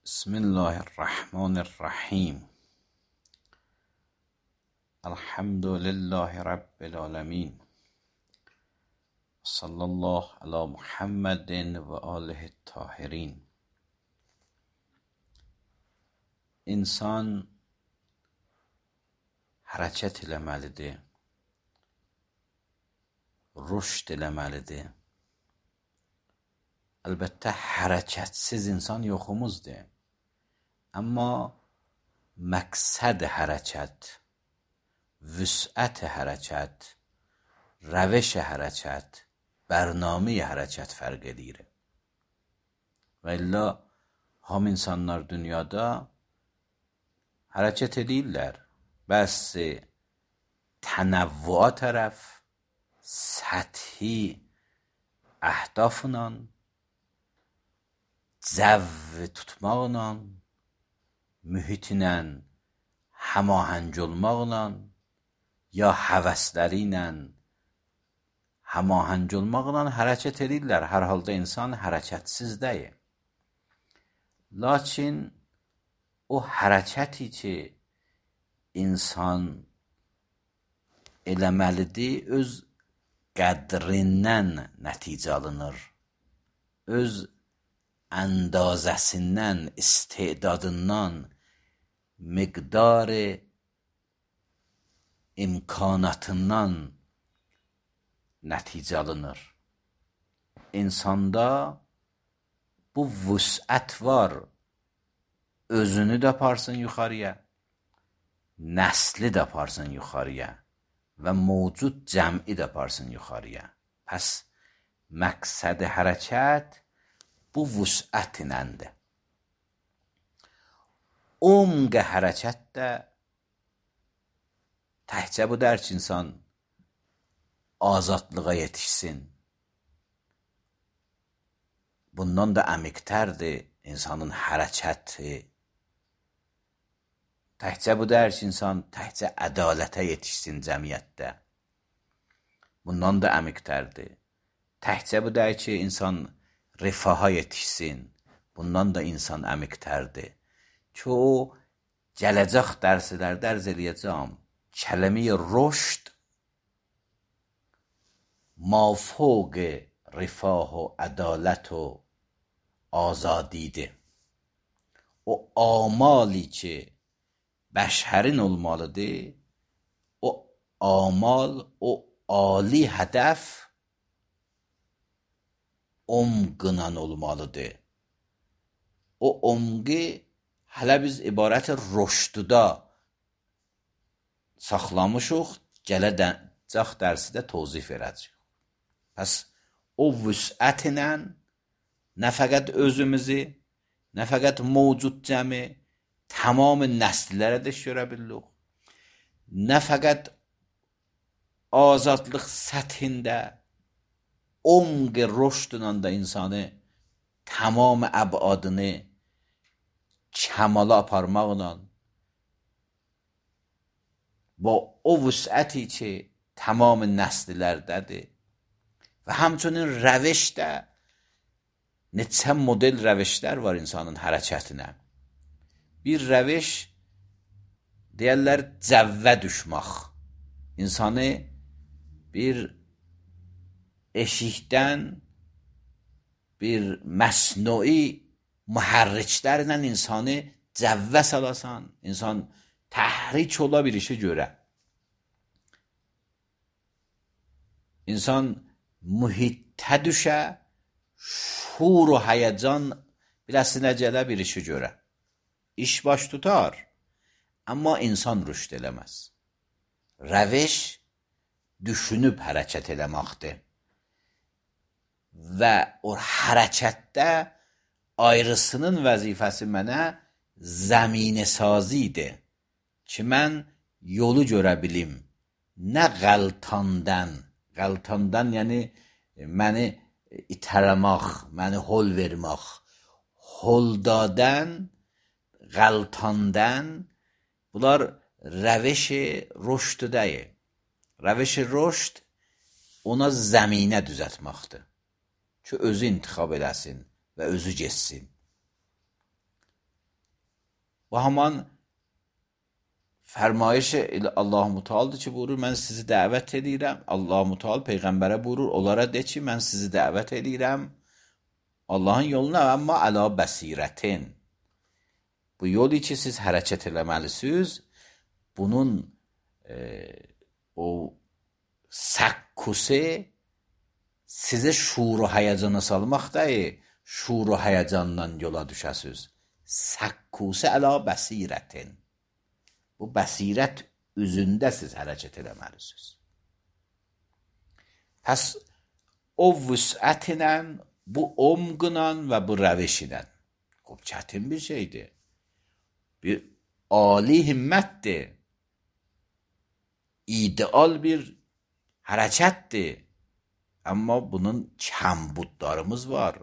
بسم الله الرحمن الرحیم. الحمد لله رب العالمین. صلی الله علی محمد و آله الطاهرین. İnsan hərəkət eləməlidir, rüşd eləməlidir. Əlbəttə hərəkətsiz insan yoxumuzdur. Amma məqsəd hərəkət, vüsət hərəkət, rəveş hərəkət, bərnamə hərəkət fərq edir. Və illa ham insanlar dünyada hərəkət edirlər. Bəzi tənəvvüa tərəf, səthi əhdafla, cəv tutmaqla, mühitinlə həmahəng olmaqla, ya həvəsləri ilə həmahəng olmaqla hərəkət edirlər. Hər halda insan hərəkətsiz deyil. Lakin o hərəkəti ki, insan eləməlidir, öz qədrindən nəticə alınır. Öz əndazəsindən, istedadından, miqdar imkanatından nəticə alınır. İnsanda bu vüsət var. Özünü də aparsın yuxarıya, nəsli də aparsın yuxarıya və mövcud cəmi də aparsın yuxarıya. Pəs məqsəd hərəkət bu vüsət iləndir. Umq hərəkət də təhcə bu dər ki, insan azadlığa yetişsin. Bundan da əmiqtərdir insanın hərəkəti. Təhcə bu dər ki, insan təhcə ədalətə yetişsin cəmiyyətdə. Bundan da əmiqtərdir. Təhcə bu dər ki, insan rifaha yetişsin. Bundan da insan əmiqtərdir. Ki o gələcək dərslərdə ərz eləyəcəm. Kəlmə rüşd mafوق rifah و عدالت و azadidir. O amali ki bəşərin olmalıdır, o amal, o ali hədəf umqla olmalıdır. O umqi hələ biz ibarət rüşdda saxlamışıq, gələcək dərsidə tozif verəcəyik. Pəs o vüsət ilə nə fəqət özümüzü, nə fəqət mövcud cəmi, tamam nəsillərə də görə bilirik. Nə fəqət azadlıq səthində, umq rüşdlə də insanı tamam əbadını kəmala aparmaqla və o vüsəti ki, tamam nəslilərdədir və həmçinin rəveşdə neçə model rəveşlər var insanın hərəkətinə. Bir rəveş deyərlər cəvvə düşmək. İnsanı bir eşikdən bir məsnui mühərriklərlə insanı cəvvə salasan, insan təhrik ola bir işə görə. İnsan mühitə düşə, şuur و həyəcan biləsinə gələ bir işə görə. İş baş tutar, amma insan rüşd eləməz. Rəveş düşünüb hərəkət eləməkdir. Və o hərəkətdə ayrısının vəzifəsi mənə zəminə sazidir ki, mən yolu görə bilim. Nə qəltandan, yəni məni itələmək, məni hol vermək, holdadən, qəltandan, bunlar rəveş-i rüşd deyil. Rəveş-i rüşd ona zəminə düzətməkdir ki, özü intixab eləsin və özü geçsin. Bu haman fərmayış Allah Mütəaldır ki, buyurur, mən sizi dəvət edirəm. Allah Mütəal Peyğəmbərə buyurur, onlara de ki, mən sizi dəvət edirəm Allahın yoluna, amma əla bəsirətin. Bu yolu ki, siz hərəkət eləməlisiniz, bunun o səkkusi sizi şuur-u həyəcana salmaq deyil, şuur-u həyəcandan yola düşəsiniz. Səkkusi əla bəsirətin. Bu bəsirət üzündə siz hərəkət eləməlisiniz. Pəs o vüsətlə, bu omqla və bu rəvişlə, çətin bir şeydir. Bir âli himmətdir. İdeal bir hərəkətdir. Amma bunun kəmbudlarımız var,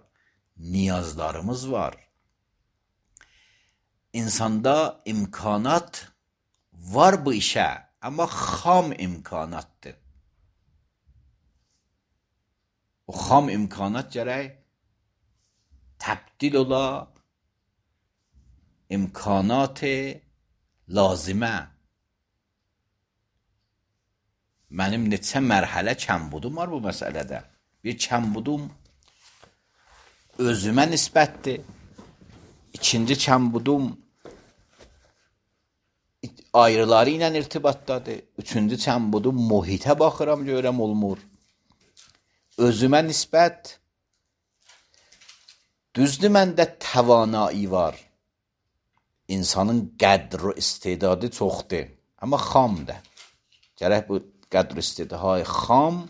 niyazlarımız var. İnsanda imkanat var bu işə, amma xam imkanatdır. O xam imkanat gərək təbdil ola imkanat-ı lazimə. Mənim neçə mərhələ kəmbudum var bu məsələdə. Bir kəmbudum özümə nisbətdir. İkinci kəmbudum ayrıları ilə irtibatdadır. Üçüncü kəmbudum mühitə baxıram, görəm olmur. Özümə nisbət, düzdür məndə təvanai var. İnsanın qədr və istedadı çoxdur, amma xamdır. Gərək bu qədr istedadı xam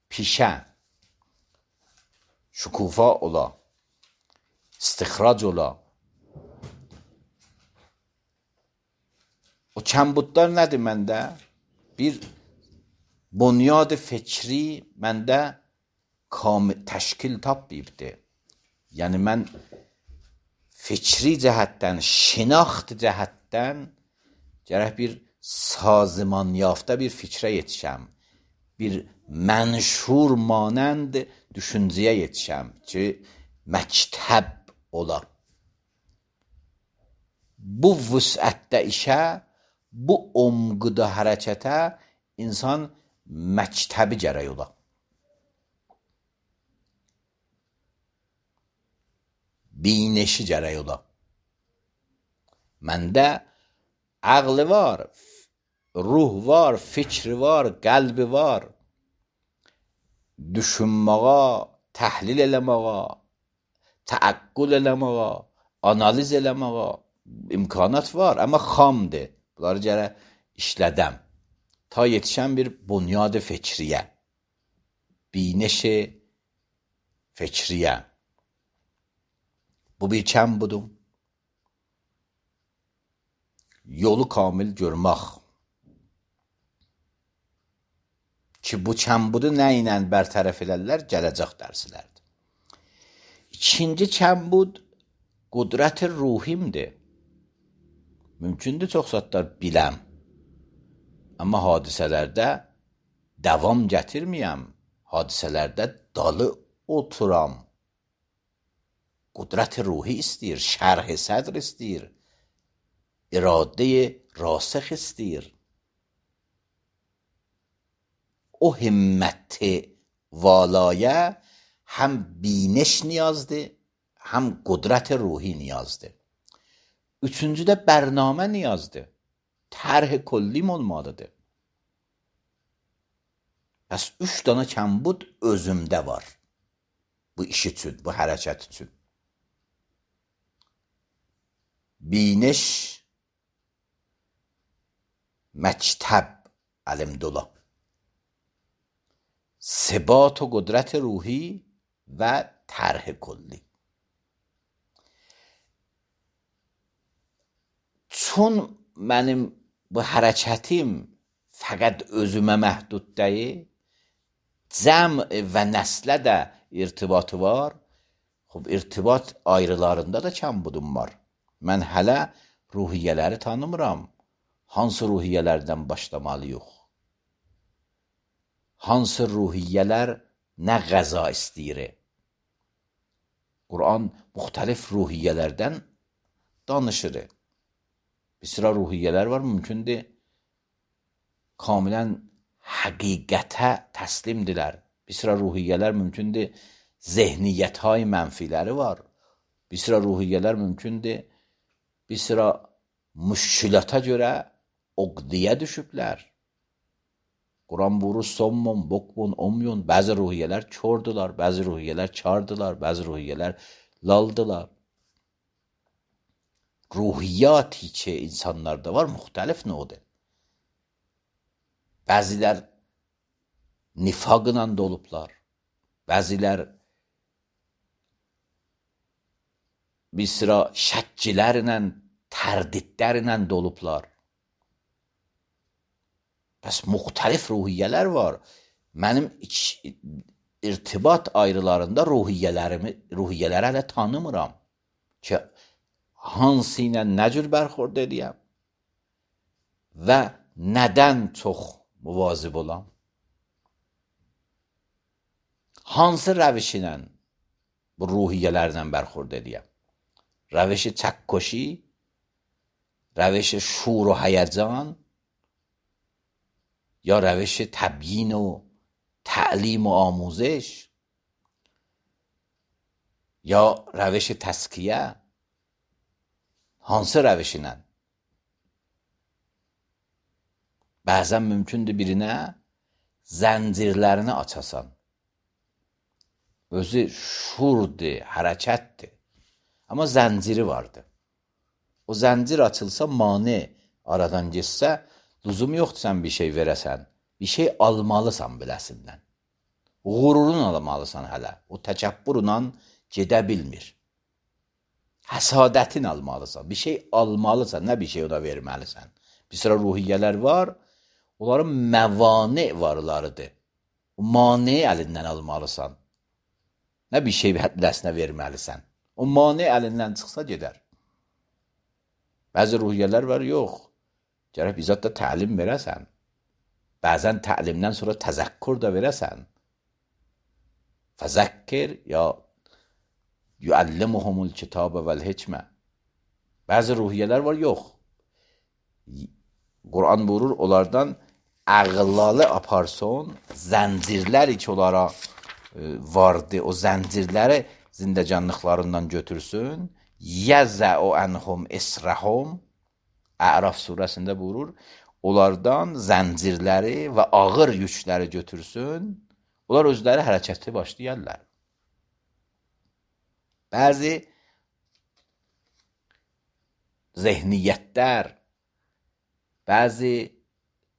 pişə, şükufa ola, istixrac ola. O kəmbudlar nədir məndə? Bir bunyad fikri məndə təşkil tapmayıbdır. Yəni mən fikri cəhətdən, şinaxt cəhətdən gərək bir sazman yafta bir fikrə yetişəm. Bir mənşur manənd düşüncəyə yetişəm ki, məktəb ola. Bu vüsətdə işə, bu omqda hərəkətə insan məktəbi gərək ola. Bineşi gərək ola. Məndə ağlı var, ruh var, fikri var, qəlbi var. Düşünməyə, təhlil eləməyə, təəqqül eləməyə, analiz eləməyə imkanat var, amma xamdır. Bunları gərək işlədəm. Ta yetişən bir bunyad fikriyə, bineşi fikriyə. Bu bir kəmbudum. Yolu kamil görmək. Ki, bu kəmbudu nə ilə bərtərəf elərlər, gələcək dərslərdir. İkinci kəmbud qudrət-i ruhimdir. Mümkündür çox zatlar biləm. Amma hadisələrdə davam gətirməyəm. Hadisələrdə dalı oturam. Qudrət-i ruhi istəyir, şərh-i sədr istəyir, iradə-i rasix istəyir. O himmət-i valayə həm biniş niyazdır, həm qudrət-i ruhi niyazdır. Üçüncü də bərnamə niyazdır. Tərh-i kollim olmalıdır. Pəs 3 dana kəmbud özümdə var. Bu iş üçün, bu hərəkət üçün. Biniş, məktəb əlimdə ola. Sebat و قدرت روحی و طرح کلی. چون mənim bu hərəkətim fəqət özümə məhdud deyil, cəm və nəslə də irtibatı var. Xub, irtibat ayrılarında da kəmbudum var. Mən hələ ruhiyyələri tanımıram. Hansı ruhiyyələrdən başlamalıyıq? Hansı ruhiyyələr nə qəza istəyir? Quran müxtəlif ruhiyyələrdən danışır. Bir sıra ruhiyyələr var, mümkündür kamilən həqiqətə təslimdirlər. Bir sıra ruhiyyələr mümkündür zehniyyətهای mənfiləri var. Bir sıra ruhiyyələr mümkündür bir sıra müşkülata görə oqdiyə düşüblər. Quran buyurur sommun, bukmun, umyun. Bəzi ruhiyyələr kördular, bəzi ruhiyyələr kardılar, bəzi ruhiyyələr laldılar. Ruhiyyati ki insanlarda var, müxtəlif növdə. Bəzilər nifaqla dolublar. Bəzilər bir sıra şəkkilərlə, tərdidlərlə dolublar. Bəs müxtəlif ruhiyyələr var. Mənim irtibat ayrılarında ruhiyyələri hələ tanımıram ki, hansı ilə nə cür bərxurd edəyəm və nədən çox muvazib olam? Hansı rəviş ilə bu ruhiyyələrlə bərxurd edəyəm? Rəvişi çəkkoşi, rəvişi şur و هیجان یا روش تبیین و تعلیم و آموزش یا روش تزکیه؟ hansı rəviş ilə? Bəzən mümkündür birinə zəncirlərini açasan. Özü şurdur, hərəkətdir. Amma zənciri vardır. O zəncir açılsa, mane aradan geçsə, lüzum yoxdur sən bir şey verəsən. Bir şey almalısan biləsindən. Qururun almalısan hələ. O təkəbbürlə gedə bilmir. Həsadətin almalısan. Bir şey almalısan, nə bir şey ona verməlisən. Bir sıra ruhiyyələr var, onların məvane varlarıdır. O mane əlindən almalısan. Nə bir şey biləsinə verməlisən. O mane əlindən çıxsa gedər. Bəzi ruhiyyələr var, yox. Gərək bizzat da təlim verəsən. Bəzən təlimdən sonra təzəkkür də verəsən. Fəzəkkir ya yuəllimuhumul kitabə vəl hikmə. Bəzi ruhiyyələr var, yox. Quran buyurur, onlardan əğlalı aparson, zəncirləri ki onlara vardı, o zəncirləri zindəcanlıqlarından götürsün, yəzəu ənhum israhum. Əraf surəsində buyurur, onlardan zəncirləri və ağır yükləri götürsün, onlar özləri hərəkətli başlayarlar. Bəzi zehniyyətlər, bəzi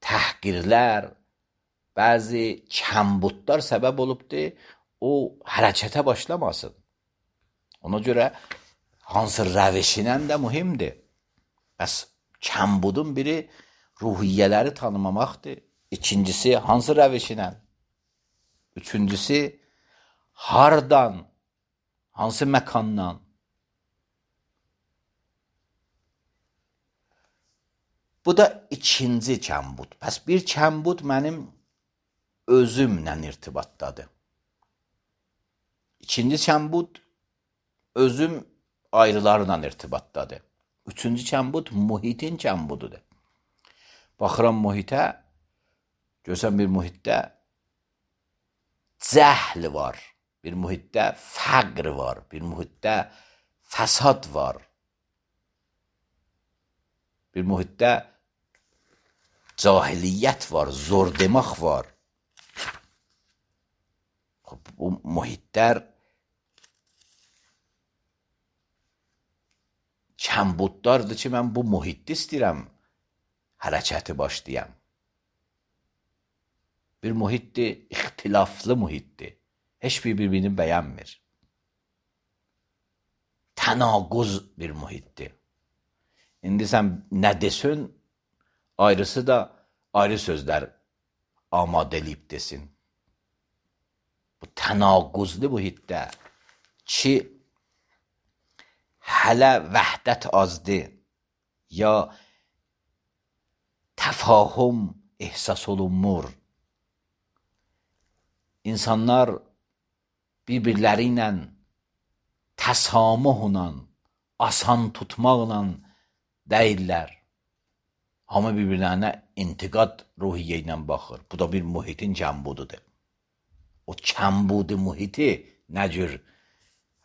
təhqirlər, bəzi kəmbudlar səbəb olubdur, o hərəkətə başlamasın. Ona görə hansı rəvişinən də mühimdir. Bəs kəmbudun biri ruhiyyələri tanımamaqdır. İkincisi, hansı rəvişinə? Üçüncüsü, hardan, hansı məkandan? Bu da ikinci kəmbud. Bəs bir kəmbud mənim özümlə irtibatdadır. İkinci kəmbud özüm ayrılarla irtibatdadır. Üçüncü kəmbud mühitin kəmbududur. Baxıram mühitə, görsən bir mühitdə cəhl var, bir mühitdə fəqr var, bir mühitdə fəsad var, bir mühitdə cahiliyyət var, zor demək var. Bu mühitlər kəmbudlardır ki, mən bu mühitdə istəyirəm hərəkəti başlayam. Bir mühitdir, ixtilaflı mühitdir. Heç bir-birini bəyənmir. Tənaquz bir mühitdir. İndi sən nə desin, ayrısı da ayrı sözlər amadə eləyib desin. Bu tənaquzlu mühitdə ki, hələ vəhdət azdır, ya təfahüm ehsas olunmur. İnsanlar bir-birləri ilə təsamuhla, asan tutmaqla deyirlər. Hamı bir-birlərinə intiqad ruhiyyə ilə baxır. Bu da bir mühitin kəmbududur. O kəmbudi mühiti nə cür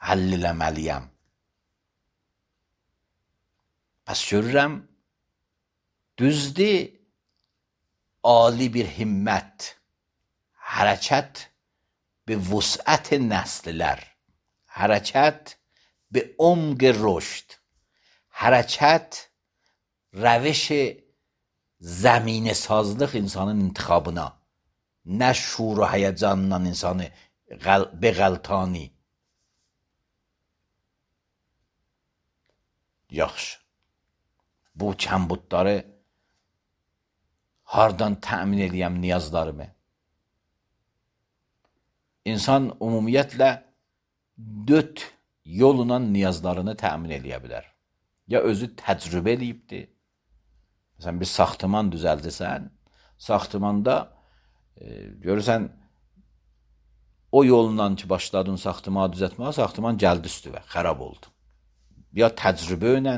həll eləməliyəm? Pəs görürəm, düzdür, ali bir himmət, hərəkət bi vusət nəsllər, hərəkət bi umq rüşd, hərəkət روش زمین سازlıq insanın intiqabına, nə şuur و həyəcanla insanı beğəltani. Yaxşı. Bu kəmbudları hardan təmin edəyəm niyazlarımı? İnsan ümumiyyətlə 4 yolla niyazlarını təmin edə bilər. Ya özü təcrübə eləyibdir. Məsələn, bir saxtıman düzəldirsən, saxtımanda görürsən, o yolla ki, başladın saxtımanı düzəltməyə, saxtıman gəldi üstüvə, xərab oldu. Ya təcrübə ilə,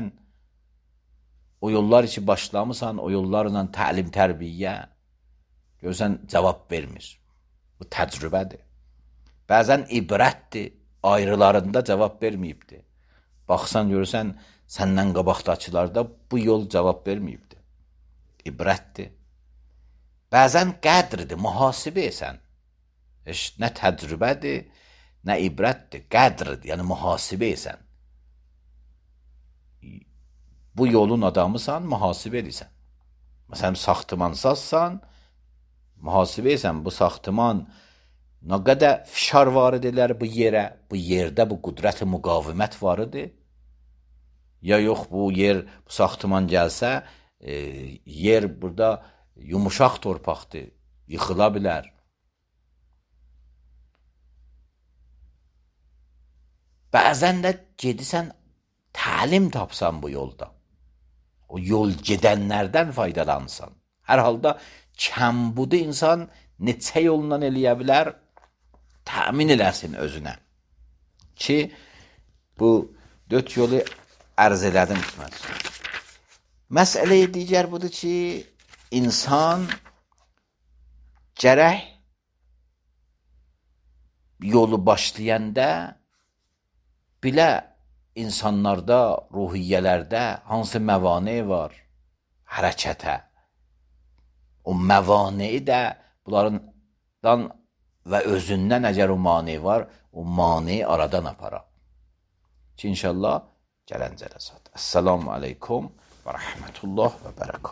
o yollar ki, başlamısan, o yollarla təlim tərbiyyə, görürsən, cavab vermir. Bu təcrübədir. Bəzən ibrətdir, ayrılarında cavab verməyibdir. Baxsan, görürsən, səndən qabaqdakılarda bu yol cavab verməyibdir. İbrətdir. Bəzən qədrdir, mühasibə esən. Nə təcrübədir, nə ibrətdir, qədrdir, yəni mühasibə esən. Bu yolun adamısan, mühasibə edirsən. Məsələn, saxtımansazsan, mühasibə esən, bu saxtıman nə qədər fişar varid edər bu yerə, bu yerdə bu qüdrət-i müqavimət varıdır. Ya yox, bu yer, bu saxtıman gəlsə, yer burada yumuşaq torpaqdır, yıxıla bilər. Bəzən də gedirsən, təlim tapsan bu yolda. O yol gedənlərdən faydalansan. Hər halda kəmbudu insan neçə yolla eləyə bilər, təmin eləsin özünə. Ki, bu 4 yolu ərz elədim. Məsələ digər budur ki, insan gərək yolu başlayanda bilə insanlarda, ruhiyyələrdə hansı məvane var hərəkətə. O məvaneyi də bunlardan və özündən əgər o mane var, o maneyi aradan apara. Ki, inşallah gələn cələsat. Əssalamu aleykum və rəhmətullah və bərəkət.